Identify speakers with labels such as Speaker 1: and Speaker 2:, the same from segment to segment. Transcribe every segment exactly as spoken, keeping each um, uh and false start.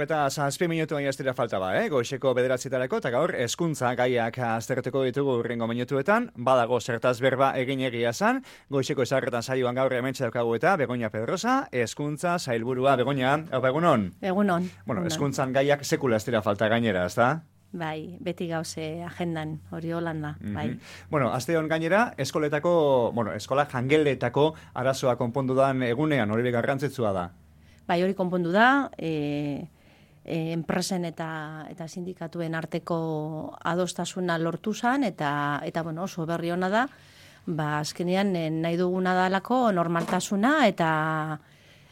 Speaker 1: eta zazpi minutu baina ez dira falta ba, eh? Goizeko bederatzitarako, eta gaur hezkuntza gaiak aztertuko ditugu urrengo minutuetan, badago zertaz berba egin egia zan, goizeko ezarretan saioan gaur hementxe daukagu eta Begoña Pedrosa, hezkuntza sailburua. Begoña, hau egunon?
Speaker 2: Egunon.
Speaker 1: Bueno, hezkuntzan gaiak sekula ez dira falta gainera, ez da?
Speaker 2: Bai, beti gauze agendan, hori holanda,
Speaker 1: Mm-hmm.
Speaker 2: bai.
Speaker 1: Bueno, aste hon gainera, eskoletako, bueno, eskola jangeletako arazoa konpondu dan egunean, hori garrantzitsua da.
Speaker 2: Bai, hori konpondu da, e, e, enpresen eta eta sindikatuen arteko adostasuna lortu zan, eta, eta bueno, oso berri ona da, ba, azkenean nahi duguna dalako normaltasuna eta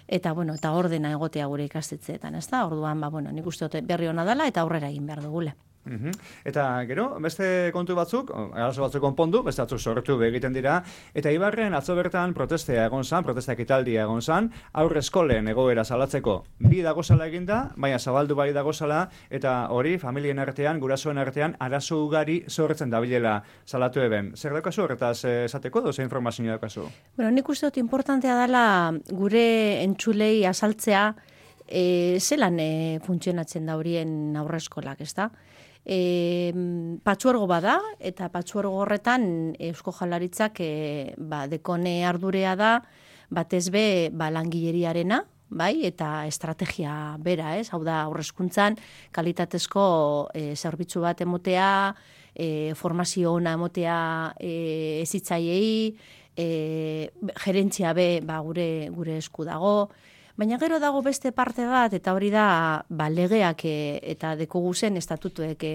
Speaker 2: eta bueno, eta ordena egotea gure ikastetxeetan, ez da? Orduan, ba, bueno, nik uste dut berri ona dela eta aurrera egin behar dugule.
Speaker 1: Uhum. Eta gero, beste kontu batzuk, arazo batzuk konpondu, beste batzuk sortu egiten dira, eta Ibarren atzo bertan protestea egon zan, protesta ekitaldia egon zan, aurre eskolen egoera salatzeko bi dagozala eginda, baina zabaldu bai dagozala, eta hori familien artean, gurasoen artean, arazo ugari sortzen dabilela salatu eben. Zer daukazu horretaz esateko, doze informazio daukazu?
Speaker 2: Bueno, nik uste dut importantea dela gure entzulei azaltzea e, zelan e, funtzionatzen da horien aurre eskolak, ez da? E, patzuergo bada, eta patzuergo horretan Eusko Jaurlaritzak e, ba, dekone ardurea da, batez be ba, langileriarena, bai, eta estrategia bera, ez? Hau da, aurrezkuntzan kalitatezko e, zerbitzu bat emotea, e, formazio ona emotea e, ezitzaiei, e, gerentzia be ba, gure, gure esku dago. Baina gero dago beste parte bat, eta hori da ba, legeak e, eta dekogu zen estatutuek e,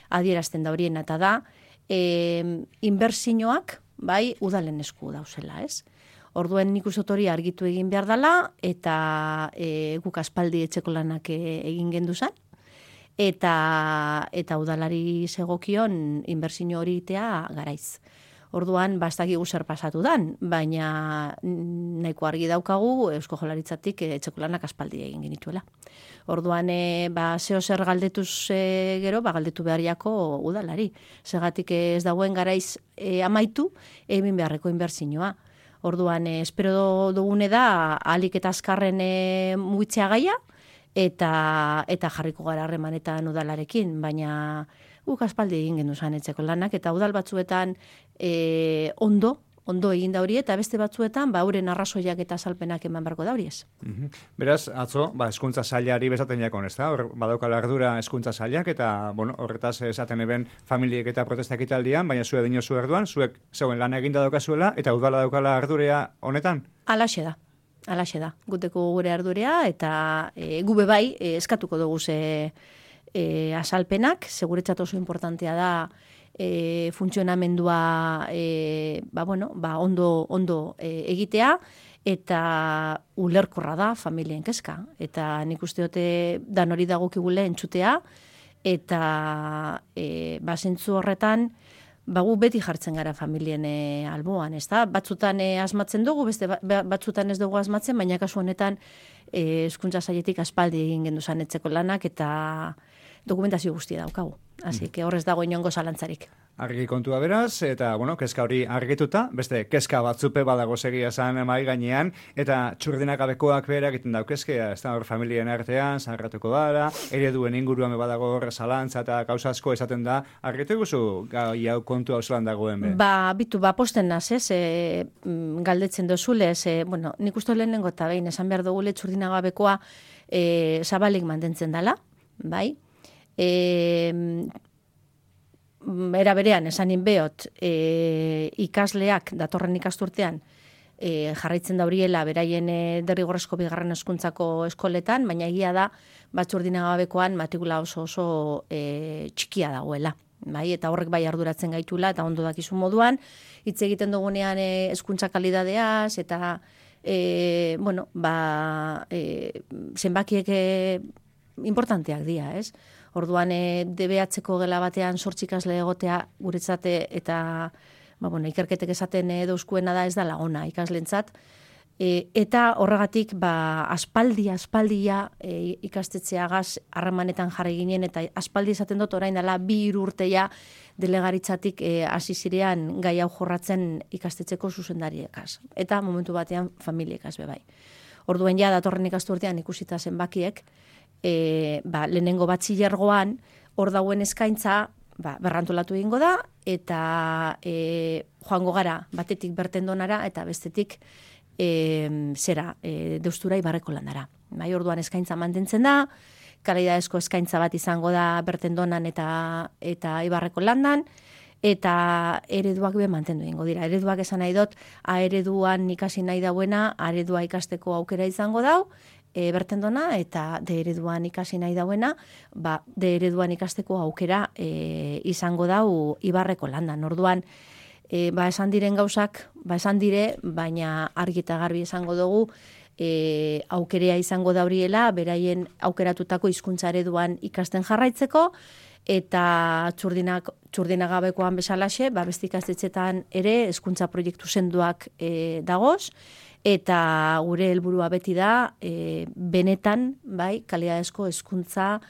Speaker 2: adierazten da horien, eta da e, inbertsioak bai udalen esku dauzela, ez? Orduen nik uste hori argitu egin behar dela, eta e, guk aspaldi etxeko lanak e, egin gendu zen, eta, eta udalari segokion inbertsio hori itea garaiz. Orduan, bastaki zer pasatu dan, baina nahiko argi daukagu Eusko Jaurlaritzatik etxeko lanak aspaldi egin genituela. Orduan, e, ba, zeo zer galdetuz e, gero, ba, galdetu beharriako udalari. Segatik ez dagoen garaiz e, amaitu, egin beharreko inbertsioa. Orduan, e, espero dugune da, ahalik eta azkarren e, mugitzea gaia, eta, eta jarriko gara harremanetan udalarekin, baina guk aspaldi egin gendu zan etxeko lanak, eta udal batzuetan e, ondo, ondo egin da hori, eta beste batzuetan, ba, euren arrazoiak eta salpenak eman barko da horiez.
Speaker 1: Uhum. Beraz, atzo, ba, eskuntza sailari bezaten jakon, ez da? Hor, badaukala ardura eskuntza sailak, eta, bueno, horretaz esaten eben familiek eta protestak italdian, baina zue dinozu erduan, zuek zeuen lan eginda daukazuela, eta udala daukala ardurea honetan?
Speaker 2: Alaxe da. Alaxe da. Guteko gure ardurea, eta e, gube bai, e, eskatuko dugu ze E, asalpenak, seguretzat oso importantea da e, funtzionamendua e, ba, bueno, ba, ondo, ondo e, egitea, eta ulerkorra da familien kezka. Eta nik uste dute dan hori dagokigule entzutea, eta e, ba, zentzu horretan, ba, gu beti jartzen gara familien e, alboan, ez da? Batzutan e, asmatzen dugu, beste batzutan ez dugu asmatzen, baina kasu honetan e, hezkuntza sailetik aspaldi egin gendu zan etxeko lanak, eta dokumentazio guztia daukagu. Así que horrez dago inongo zalantzarik.
Speaker 1: Argi kontua beraz, eta, bueno, kezka hori argituta, beste kezka batzupe badago segia zan mai gainean, eta txurdinagabekoak behera egiten daukezkea, ez da hor familien artean, zaharratuko dara, ereduen inguruan badago hor zalantza eta gauza asko esaten da, argitu guzu gai hau kontu hau zelan dagoen be?
Speaker 2: Ba, bitu, ba, posten naz, ez, e, galdetzen dozule, ez, e, bueno, nik uste lehenengo eta behin, esan behar dugule txurdinagabekoa e, zabalik mantentzen dela, bai? E, era berean, esanin behot, e, ikasleak datorren ikasturtean e, jarraitzen dauriela beraien e, derrigorrezko bigarren hezkuntzako eskoletan, baina egia da batzurdinagabekoan matrikula oso oso e, txikia dagoela. Bai, eta horrek bai arduratzen gaitula, eta ondo dakizu moduan, hitz egiten dugunean e, hezkuntza kalidadeaz, eta e, bueno, ba, e, zenbakiek e, importanteak dira, ez? Orduan, e, D B H-ko gela batean zortzi ikasle egotea guretzate, eta ba, bueno, ikerketek esaten e, dauzkuena da ez da lagona ikaslentzat. E, eta horregatik, ba, aspaldi, aspaldia e, ikastetxeagaz harremanetan jarri ginen, eta aspaldi esaten dut orain dela bi hiru urteia delegaritzatik e, hasi zirean gai hau jorratzen ikastetxeko zuzendariekaz. Eta momentu batean familiekaz bebai. Orduen ja datorren ikasturtean ikusita zenbakiek, e, ba, lehenengo batxilergoan, hor dauen eskaintza, ba, berrantolatu egingo da, eta e, joango gara batetik bertendonara, eta bestetik e, zera, e, deustura ibarreko landara. Bai, orduan eskaintza mantentzen da, kalidadezko eskaintza bat izango da bertendonan eta, eta ibarreko landan, eta ereduak be mantendu egingo dira. Ereduak esan nahi dut, A ereduan ikasi nahi dauena, A eredua ikasteko aukera izango dau, e, bertendona, eta D ereduan ikasi nahi dauena, ba, D ereduan ikasteko aukera e, izango dau ibarreko landan. Orduan, e, ba, esan diren gauzak, ba, esan dire, baina argi eta garbi esango dugu, e, aukerea izango dauriela, beraien aukeratutako hizkuntza ereduan ikasten jarraitzeko, eta txurdinak, txurdinagabekoan bezalaxe, ba, beste ikastetxetan ere hezkuntza proiektu senduak e, dagoz, eta gure helburua beti da e, benetan, bai, kalidadezko hezkuntza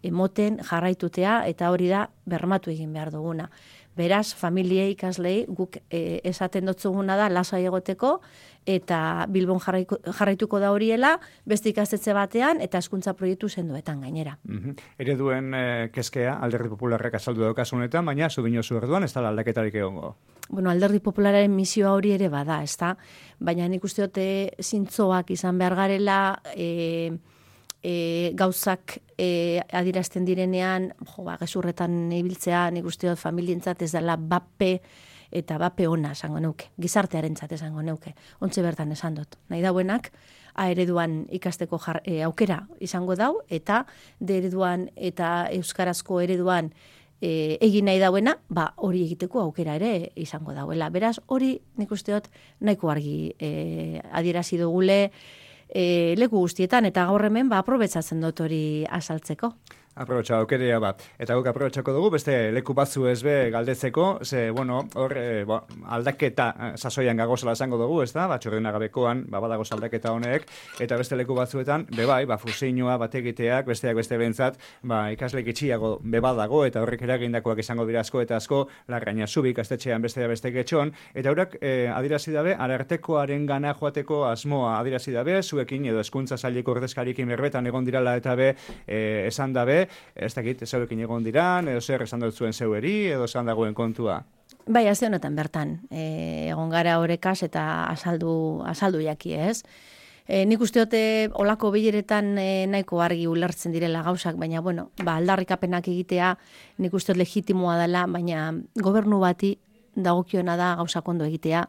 Speaker 2: emoten jarraitutea, eta hori da bermatu egin behar duguna. Beraz, familiei, ikaslei, guk e, esaten dotzuguna da lasai egoteko, eta Bilbon jarraiko, jarraituko da horiela, beste ikastetxe batean, eta hezkuntza proiektu sendoetan gainera.
Speaker 1: Mm-hmm. Ereduen e, kezkea, Alderdi Popularrak azaldu daukasunetan, baina zubinozu erduan, ez da aldaketarik egongo?
Speaker 2: Bueno, Alderdi Populararen misioa hori ere bada, ez da? Baina nik uste dute zintzoak izan behar garela, e, e, gauzak e, adierazten direnean, jo, ba, gezurretan ibiltzea, nik uste dut familientzat ez dela bape, eta bape ona esango neuke, gizartearentzat esango neuke, ontze bertan esan dut. Nahi dauenak, A ereduan ikasteko jar, e, aukera izango dau, eta D ereduan eta euskarazko ereduan e, egin nahi dauena, ba, hori egiteko aukera ere izango dauela. Beraz, hori nik uste dut nahiko argi e, adierazi dugule e, leku guztietan, eta gaur hemen ba, aprobetsatzen dut hori azaltzeko.
Speaker 1: Aprobetxa aukerea bat. Eta guk aprobetxako dugu, beste leku batzu ez be galdetzeko, ze, bueno, hor, e, bo, aldaketa sasoian gagozela esango dugu, ez da? Ba, txurdinagabekoan, ba, badagoz aldaketa honek, eta beste leku batzuetan, bebai, ba, fusioa, bategiteak, besteak beste bentzat, ba, ikasleik itxiago bebadago, eta horrek eragindakoak izango dira asko eta asko, Larraina Zubik, astetxean beste beste getxon, eta horak e, adirazi dabe, arartekoaren gana joateko asmoa adirazi dabe, zuekin edo hezkuntza saileko ordezkariekin berbetan egon dirala eta be, e, esan dabe, ez dakit, zeurekin egon diran, edo zer esan dut zuen zeueri, edo esan dagoen kontua?
Speaker 2: Bai, azte honetan bertan, e, egon gara horrekaz eta azaldu, azaldu jaki, ez? E, nik uste dute olako bileretan e, nahiko argi ulertzen direla gauzak, baina, bueno, ba, aldarrikapenak egitea nik uste dut legitimoa dela, baina gobernu bati dagokiona da gauzak ondo egitea,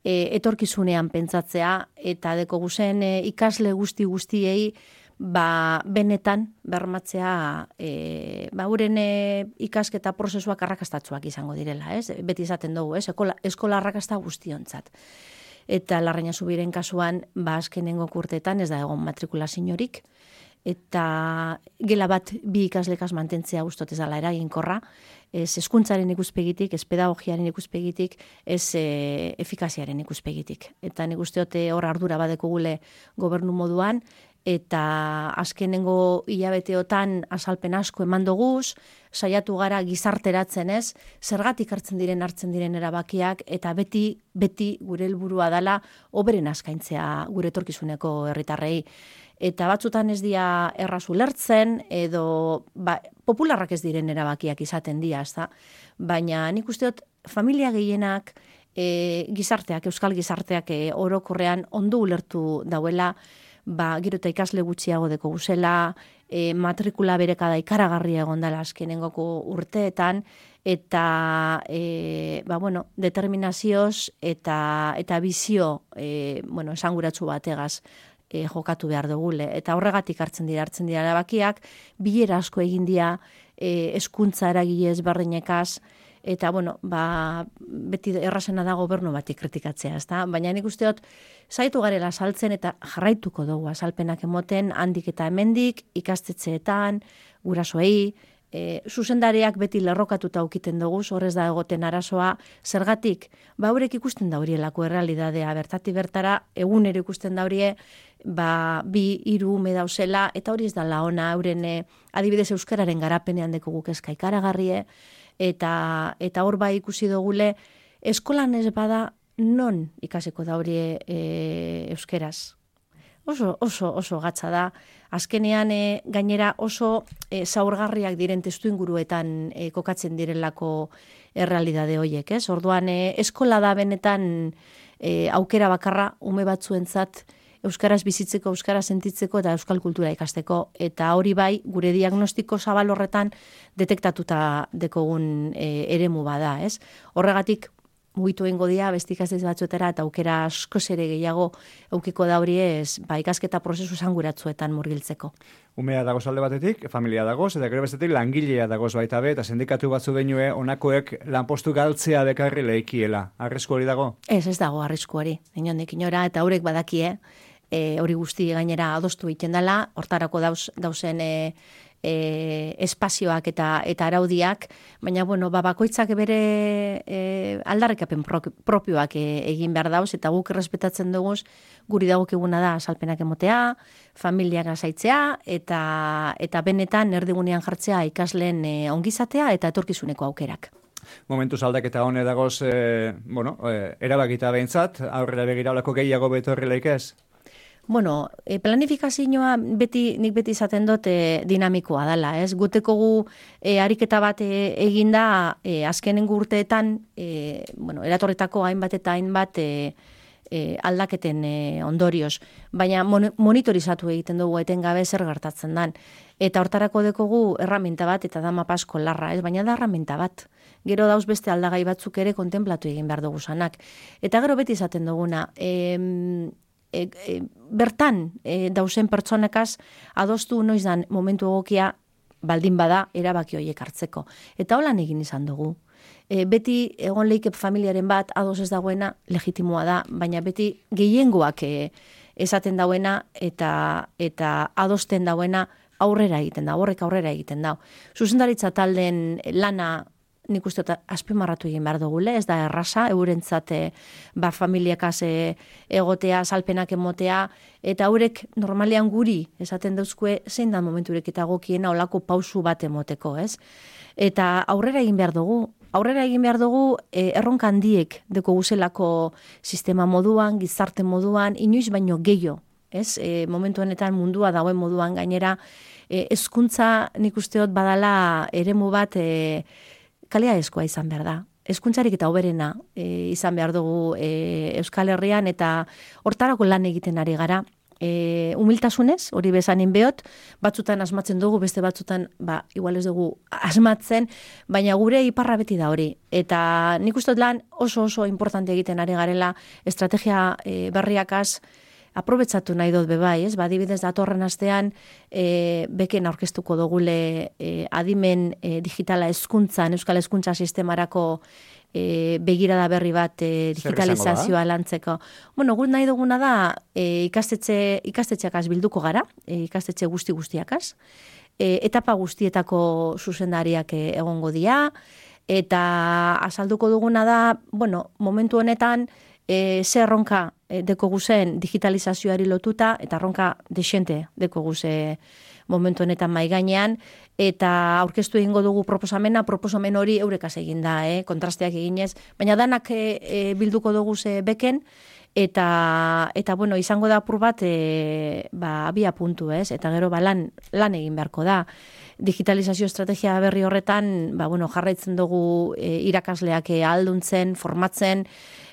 Speaker 2: e, etorkizunean pentsatzea, eta deko guzen e, ikasle guzti guztiei, ba, benetan bermatzea e, ba, uren e, ikasketa prozesuak arrakastatzuak izango direla, ez? Beti izaten dugu, ez? Eskola, eskola arrakasta guztiontzat. Eta Larraina Zubiren kasuan, ba, azkenengo kurtetan ez da egon matrikulaziorik, eta gela bat bi ikaslekaz mantentzea gustot ez dela eraginkorra, ez hezkuntzaren ikuspegitik, ez pedagogiaren ikuspegitik, ez e, efikaziaren ikuspegitik. Eta nik uste dute hor ardura badeko gule gobernu moduan, eta azkenengo hilabeteotan azalpen asko eman doguz, saiatu gara gizarteratzen ez, zergatik hartzen diren hartzen diren erabakiak, eta beti, beti gure helburua dela oberen askaintzea gure etorkizuneko herritarrei. Eta batzutan ez dira erraz ulertzen, edo ba, popularrak ez diren erabakiak izaten dira, ez da? Baina nik uste dut familia gehienak, e, gizarteak, euskal gizarteak e, orokorrean ondo ulertu dauela, ba, gero eta ikasle gutxiago deko guzela, e, matrikula berekada ikaragarria egon dela azkenengoko urteetan, eta e, ba, bueno, determinazioz eta, eta bizio e, bueno, esanguratsu bategaz e, jokatu behar dugule. Eta horregatik hartzen dira, hartzen dira erabakiak, bilera asko egin dira e, hezkuntza eragile ezberdinekaz, eta, bueno, ba, beti errazena da gobernu bati kritikatzea, ezta? Baina nik uste dut, zaitu garela saltzen eta jarraituko dugu azalpenak emoten, handik eta hemendik, ikastetxeetan, gurasoei, e, zuzendariak beti lerrokatuta aukiten dugu, horrez da egoten arazoa, zergatik, ba, haurek ikusten daurielako errealidadea, bertati bertara, egunero ikusten daurie, ba, bi, hiru ume dauzela, eta hori ez da laona, hauren e, adibidez euskararen garapenean deko guk eska ikaragarrie, eta eta hor bai ikusi dugule eskolan ez bada non ikasiko da hori e, euskeraz. Oso, oso, oso gatza da. Azkenean e, gainera oso e, zaurgarriak diren testu inguruetan e, kokatzen direlako errealidade horiek, ez? Orduan, e, eskola da benetan e, aukera bakarra ume batzuentzat euskaraz bizitzeko, euskaraz sentitzeko eta euskal kultura ikasteko. Eta hori bai, gure diagnostiko zabal horretan detektatuta dekogun e, eremu bada, ez? Horregatik, mugitu egingo dia, beste ikastetxe batzuetara, eta aukera askoz ere gehiago eukiko da hori ez, ba, ikasketa prozesu zanguratzuetan murgiltzeko.
Speaker 1: Umea dagoz alde batetik, familia dagoz, eta gero bestetik langilea dagoz baita be, eta sindikatu batzu denue onakoek lanpostu galtzea bekarri lehikiela. Arrisku hori dago? Ez,
Speaker 2: ez dago arrisku hori, inondik inora, eta horrek badakie, e, hori guzti gainera adostu egiten dela, hortarako dauz, dauzen e, E, espazioak eta eta araudiak, baina bueno, ba, bakoitzak bere e, aldarrikapen propioak e, egin behar dauz, eta guk errespetatzen dugu guri dagokiguna da salpenak emotea, familiak azaitzea, eta, eta benetan erdigunean jartzea ikasleen e, ongizatea eta etorkizuneko aukerak.
Speaker 1: Momentu aldaketa hone dagoz, e, bueno, e, erabakita behintzat, aurrera begiraulako gehiago betorrileik ez?
Speaker 2: Bueno, e, planifikazioa beti, nik beti izaten dut e, dinamikoa dela, ez? Gutekogu e, ariketa bat e, eginda e, azkenengo urteetan, e, bueno, eratorretako hainbat eta hainbat e, e, aldaketen e, ondorioz, baina mon, monitorizatu egiten dugu etengabe zer gertatzen dan. Eta hortarako dekogu erraminta bat eta da mapasko larra, ez? Baina da erraminta bat. Gero dauz beste aldagai batzuk ere kontemplatu egin behar dugu zanak. Eta gero beti izaten duguna, e, E, e, bertan e, dausen pertsonekaz adostu noiz dan momentu egokia baldin bada erabaki horiek hartzeko. Eta holan egin izan dugu. E, beti egon leike familiaren bat ados ez dagoena legitimoa da, baina beti gehiengoak e, esaten dauena eta, eta adosten dauena aurrera egiten da, horrek aurrera egiten da. Zuzendaritza taldeen lana nik uste azpimarratu egin behar dugule, ez da erraza, eurentzat ba, familiakaz egotea, salpenak emotea, eta haurek normalean guri esaten dauzkue zein da momenturek eta gokiena olako pausu bat emoteko, ez? Eta aurrera egin behar dugu, aurrera egin behar dugu e, erronka handiek deko guzelako sistema moduan, gizarte moduan, inoiz baino gehiago, ez? E, momentu honetan mundua dagoen moduan gainera, e, hezkuntza nik usteot badala eremu bat e, kaliadezkoa izan behar da. Hezkuntzarik eta hoberena e, izan behar dugu e, Euskal Herrian eta hortarako lan egiten ari gara. E, humiltasunez, hori bezanin behot, batzutan asmatzen dugu, beste batzutan, ba, igual ez dugu asmatzen, baina gure iparra beti da hori. Eta nik uste lan oso oso importante egiten ari garela estrategia e, berriakaz, aprobetsatu nahi dut bebai, ez? Ba, adibidez datorren astean e, beken aurkeztuko dugule e, adimen e, digitala hezkuntzan, euskal hezkuntza sistemarako e, begirada berri bat e, digitalizazioa lantzeko. Bueno, gut nahi duguna da e, ikastetxe, ikastetxeakaz bilduko gara, e, ikastetxe guzti guztiakaz, e, etapa guztietako zuzendariak e, egongo dira, eta azalduko duguna da, bueno, momentu honetan, E, ze erronka e, deko guzen digitalizazioari lotuta, eta erronka desente deko guze momentu honetan maigainean, eta aurkeztu egingo dugu proposamena, proposamen hori eurekaz egin da, eh, kontrasteak eginez, baina danak e, e, bilduko dugu ze beken, eta, eta bueno, izango da apur bat e, ba, abia puntu, ez? Eta gero ba, lan, lan egin beharko da. Digitalizazio estrategia berri horretan, ba, bueno, jarraitzen dugu e, irakasleak e, alduntzen, formatzen,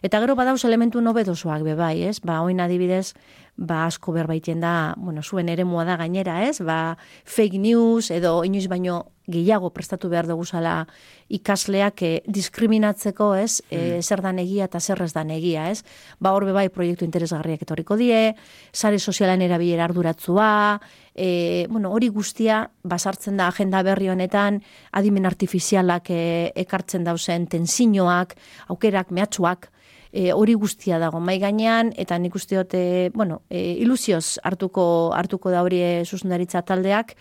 Speaker 2: eta gero badauz elementu nobedosoak be bai, ez? Ba, oin adibidez, ba, asko berbaiten da, bueno, zuen eremua da gainera, ez? Ba, fake news edo inoiz baino gehiago prestatu behar dugu zala ikasleak eh, diskriminatzeko, ez? Eh, zer dan egia eta zer ez dan egia, ez? Ba, hor be bai proiektu interesgarriak etorriko die, sare sozialan erabilera arduratzua, e, bueno, hori guztia basartzen da agenda berri honetan, adimen artifizialak e, ekartzen dauzen tensioak, aukerak, mehatxuak, E, hori guztia dago mai gainean, eta nik usteot, e, bueno, e, ilusioz hartuko hartuko da hori zuzendaritza taldeak,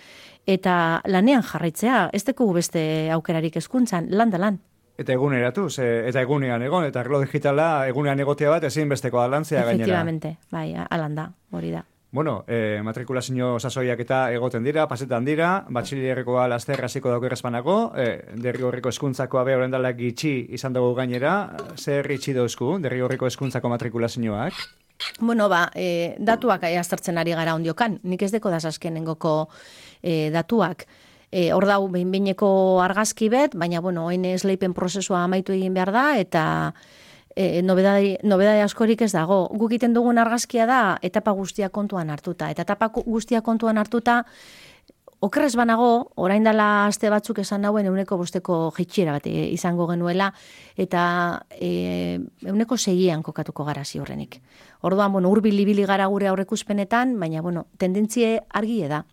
Speaker 2: eta lanean jarraitzea, ez dugu beste aukerarik hezkuntzan, lan da lan.
Speaker 1: Eta eguneratu, ze, eta egunean egon, eta arlo digitala egunean egotea bat ezin besteko alantzea gainera.
Speaker 2: Efectivamente, bai, alan da, hori da.
Speaker 1: Bueno, eh, matrikulazio sasoiak eta egoten dira, pasetan dira, batxilerrekoa laster hasiko dago errezpanako, eh, derrigorriko hezkuntzakoa be horrendalak gitxi izan dugu gainera, zer itxi dauzku, derrigorriko hezkuntzako matrikulazioak?
Speaker 2: Bueno, ba, e, datuak aztertzen ari gara ondiokan. Nik ez deko dazazkenengoko e, datuak. E, hor dau, behin-behineko argazki bet, baina, bueno, oin esleipen prozesua amaitu egin behar da, eta e, nobedade, nobedade askorik ez dago. Guk egiten dugun argazkia da, etapa guztia kontuan hartuta. Eta etapa guztia kontuan hartuta, okerrez banago, orain dela aste batzuk esan nauen euneko bosteko jitxiera bat izango genuela, eta e, euneko segian kokatuko gara ziurrenik. Orduan, bueno, urbil ibili gara gure aurreikuspenetan, baina, bueno, tendentzie argie da.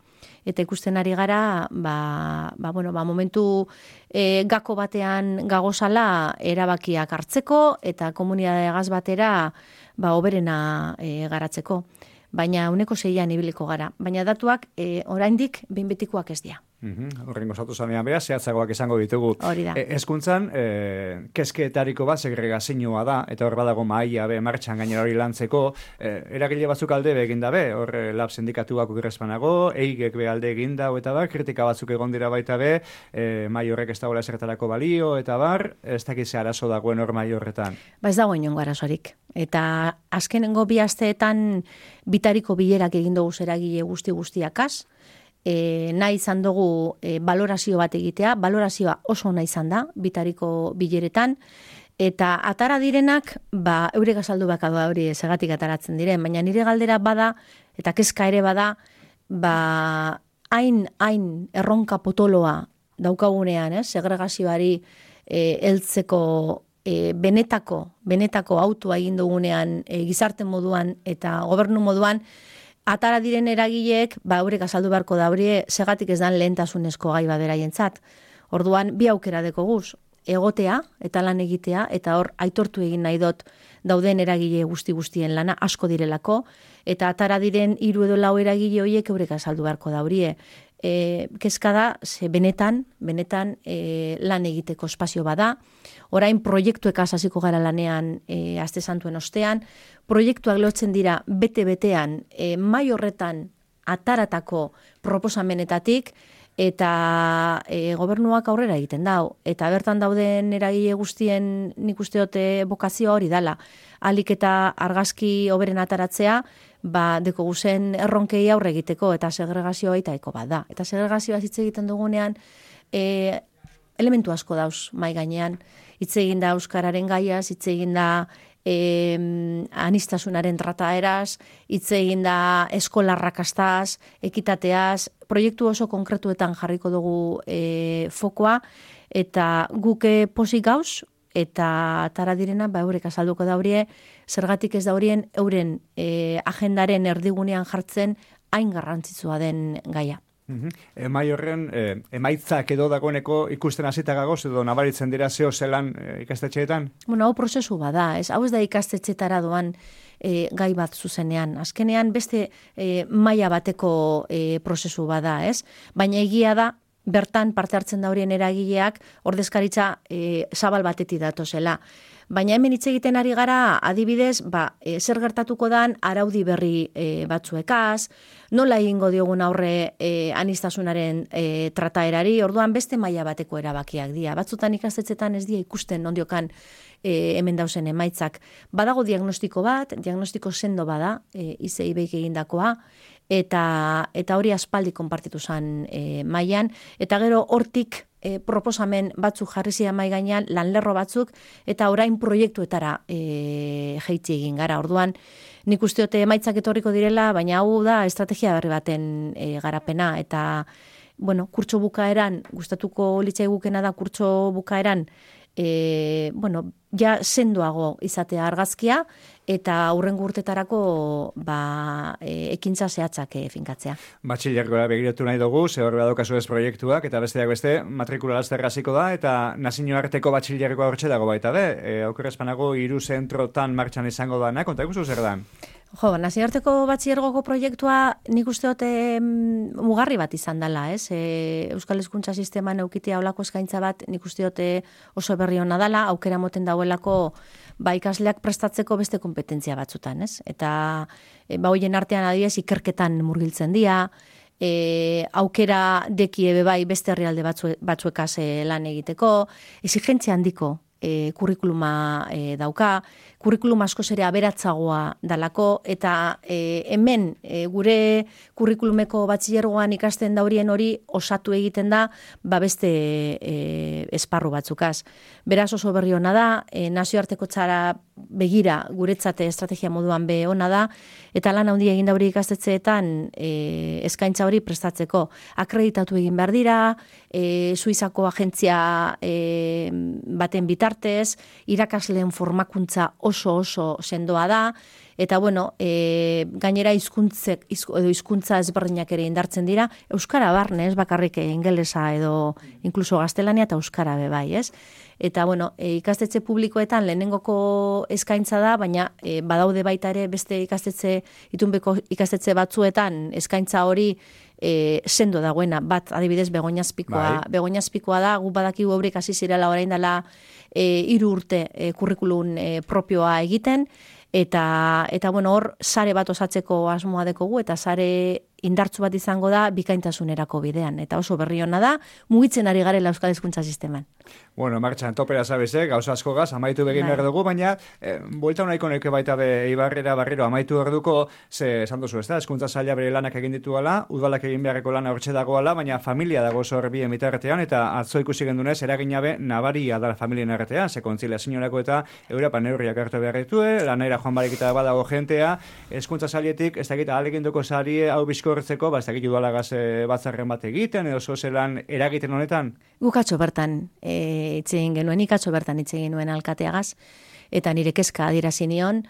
Speaker 2: Eta ikusten ari gara, ba, ba, bueno, ba, momentu e, gako batean gagozala erabakiak hartzeko, eta komunidade gaz batera ba, oberena e, garatzeko. Baina uneko zeian ibiliko gara. Baina datuak e, oraindik behin betikoak ez dira.
Speaker 1: Horrengo zatu zanean beha, zehatzagoak izango ditugu.
Speaker 2: Hori da.
Speaker 1: E, Hezkuntzan, e, kezkeetariko bat segregazioa da, eta hor badago mahaia be martxan gainera hori lantzeko, e, eragile batzuk alde be egin dabe, hor e, lab sindikatuak ukiresmanago, eigek be alde egin dau, eta bar, kritika batzuk egon dira baita be, e, mai horrek ez dagoela esertarako balio, eta bar, ez dakize arazo dagoen hor mai horretan.
Speaker 2: Ba ez dago inongo arazorik. Eta azkenengo bi asteetan bitariko bilerak egin dugu zeragile guzti guztiakaz, E, nahi izan dugu e, valorazio bat egitea, valorazioa oso nahi izan da, bitariko bileretan, eta atara direnak, ba, eurek azaldu baka da hori segatik ataratzen diren, baina nire galdera bada, eta kezka ere bada, ba, hain, hain erronka potoloa daukagunean, eh, segregazioari e, heltzeko e, benetako, benetako autua egin dugunean e, gizarte moduan eta gobernu moduan, atara diren eragileek, ba, eurek azaldu beharko da hori, segatik ez dan lehentasunezko gai baderaientzat. Orduan, bi aukera deko guz, egotea eta lan egitea, eta hor aitortu egin nahi dut dauden eragile guzti guztien lana asko direlako, eta atara diren hiru edo lau eragile horiek eurek azaldu beharko da hori. E, kezka da, ze benetan, benetan e, lan egiteko espazio bada, orain proiektuekaz hasiko gara lanean e, aste santuen ostean, proiektuak lotzen dira bete-betean e, mai horretan ataratako proposamenetatik, eta e, gobernuak aurrera egiten dau. Eta bertan dauden eragile guztien nik uste dute bokazioa hori dala. Alik eta argazki hoberen ataratzea, ba, deko guzen erronkei aurre egiteko, eta segregazioa baitaeko bat da. Eta segregazioa hitz egiten dugunean, e, elementu asko dauz mai gainean. Hitz egin da euskararen gaiaz, hitz egin da E, anistasunaren trataeraz, hitz egin da eskolarrakastaz, ekitateaz, proiektu oso konkretuetan jarriko dugu e, fokoa, eta guke posik gauz, eta tara direna, ba, eurek azalduko da horie, zergatik ez da horien euren e, agendaren erdigunean jartzen hain garrantzitsua den gaia.
Speaker 1: Uhum. Emai horren, eh, emaitzak edo dagoeneko ikusten hasita gagoz edo nabaritzen dira zeo zelan eh, ikastetxeetan?
Speaker 2: Bueno, hau prozesu bada, ez? Hau ez da ikastetxetara doan e, gai bat zuzenean. Azkenean beste e, maila bateko e, prozesu bada, ez? Baina egia da, bertan parte hartzen da horien eragileak ordezkaritza e, zabal batetik datozela. Baina hemen hitz egiten ari gara, adibidez, ba, e, zer gertatuko dan araudi berri e, batzuekaz, nola egingo diogun aurre e, anistasunaren e, trataerari, orduan beste maila bateko erabakiak dira. Batzutan ikastetxetan ez dira ikusten ondiokan e, hemen dausen emaitzak. Badago diagnostiko bat, diagnostiko sendo bada, e, I C I B ek egindakoa, eta, eta hori aspaldi konpartitu zen e, mailan, eta gero hortik E, proposamen batzuk jarri zidan mai gainean, lanlerro batzuk, eta orain proiektuetara e, jeitzi egin gara. Orduan, nik usteote emaitzak etorriko direla, baina hau da estrategia berri baten e, garapena, eta, bueno, kurtso bukaeran, gustatuko litzai gukena da kurtso bukaeran, e, bueno, ja sendoago izatea argazkia, eta aurrengo urtetarako ba, e, ekintza zehatzak e, finkatzea.
Speaker 1: Batxilergoa begiratu nahi dugu, ze horre badokazu ez proiektuak, eta besteak beste, matrikula lasterra hasiko da, eta nazioarteko batxilergoa hortxe dago baita be, e, aukerrezpanago hiru zentrotan martxan izango dana, konta ikustu zer da?
Speaker 2: Jo, nazioarteko batxillergoko proiektua nik uste dute mugarri bat izan dela, ez? E, Euskal Hezkuntza sisteman eukitea olako eskaintza bat nik uste dute oso berri hona dela, aukera moten dauelako ba, ikasleak prestatzeko beste kompetentzia batzutan, ez? Eta e, ba, hoien artean adibidez ikerketan murgiltzen dira, e, aukera deki ebe bai beste herrialde batzu, batzuekaz e, lan egiteko, exigentzia handiko e, kurrikuluma e, dauka, kurrikulum asko zere aberatzagoa dalako, eta e, hemen e, gure kurrikulumeko batxilergoan ikasten daurien hori osatu egiten da, ba beste e, esparru batzukaz. Beraz oso berri hona da, e, nazioarteko txara begira guretzate estrategia moduan be hona da, eta lan handia egin dauri ikastetxeetan e, eskaintza hori prestatzeko. Akreditatu egin behar dira, e, Suizako agentzia e, baten bitartez, irakasleen formakuntza oso oso sendoa da, eta bueno, e, gainera hizkuntzek edo hizkuntza ezberdinak ere indartzen dira, euskara barne, ez bakarrik ingelesa edo inkluso gaztelania eta euskara be bai, ez? Eta bueno, e, ikastetxe publikoetan lehenengoko eskaintza da, baina e, badaude baita ere beste ikastetxe, itunbeko ikastetxe batzuetan eskaintza hori e, sendo dagoena, bat adibidez Begoñazpikoa, bai. Begoñazpikoa da, gu badakigu eurik hasi zirela orain dela e, hiru urte e, kurrikulum e, propioa egiten, eta eta bueno, hor sare bat osatzeko asmoa dekogu, eta sare indartzu bat izango da bikaintasunerako bidean, eta oso berri hona da, mugitzen ari garela euskal hezkuntza sisteman.
Speaker 1: Bueno, martxan topera sabeze, gauza asko gaz, amaitu begin behar dugu, baina eh, buelta nahiko neke baita be Ibarrera barriro amaitu behar duko, ze esan duzu, ez da, hezkuntza saila bere lanak egin dituala, udalak egin beharreko lana hortxe dagoala, baina familia dago zor bien bitartean, eta atzo ikusi gendunez, eraginabe nabaria da familien artean, ze kontziliazioarako eta Europa neurriak hartu behar ditue, lanera joan barekita badago jentea, hezkuntza sailetik, ez dakit ahalegindoko sarie hau bizkortzeko, ba ez dakit udalagaz batzarren bat egiten, edo zozelan eragiten honetan?
Speaker 2: Gukatxo bertan, e, itzegin genuen, ikatxo bertan itzegin genuen alkateagaz, eta nire kezka adierazi nion,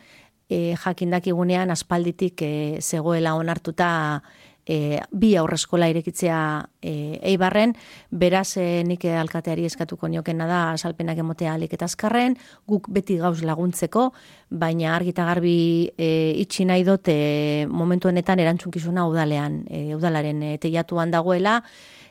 Speaker 2: e, jakindakigunean aspalditik e, zegoela onartuta e, bi aurreskola irekitzea e, Eibarren, beraz e, nik alkateari eskatuko niokena da salpenak emotea alik eta azkarren, guk beti gauz laguntzeko, baina argita garbi e, itxi nahi dut e, momentu honetan erantzunkizuna udalean, e, udalaren e, teiatuan dagoela,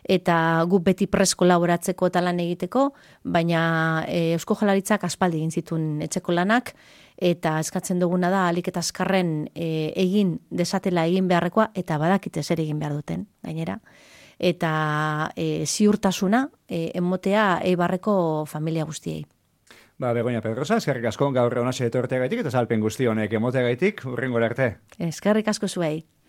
Speaker 2: eta guk beti pres kolaboratzeko eta lan egiteko, baina e, Eusko Jaurlaritzak aspaldi egin zituen etxeko lanak, eta eskatzen duguna da alik eta azkarren e, egin desatela egin beharrekoa, eta badakite zer egin behar duten, gainera. Eta e, ziurtasuna e, emotea Eibarreko familia guztiei.
Speaker 1: Ba, Begoña Pedrosa, eskerrik asko gaur honase etorteagaitik eta salpen guzti honek emoteagaitik, hurrengora arte.
Speaker 2: Eskerrik asko zuei.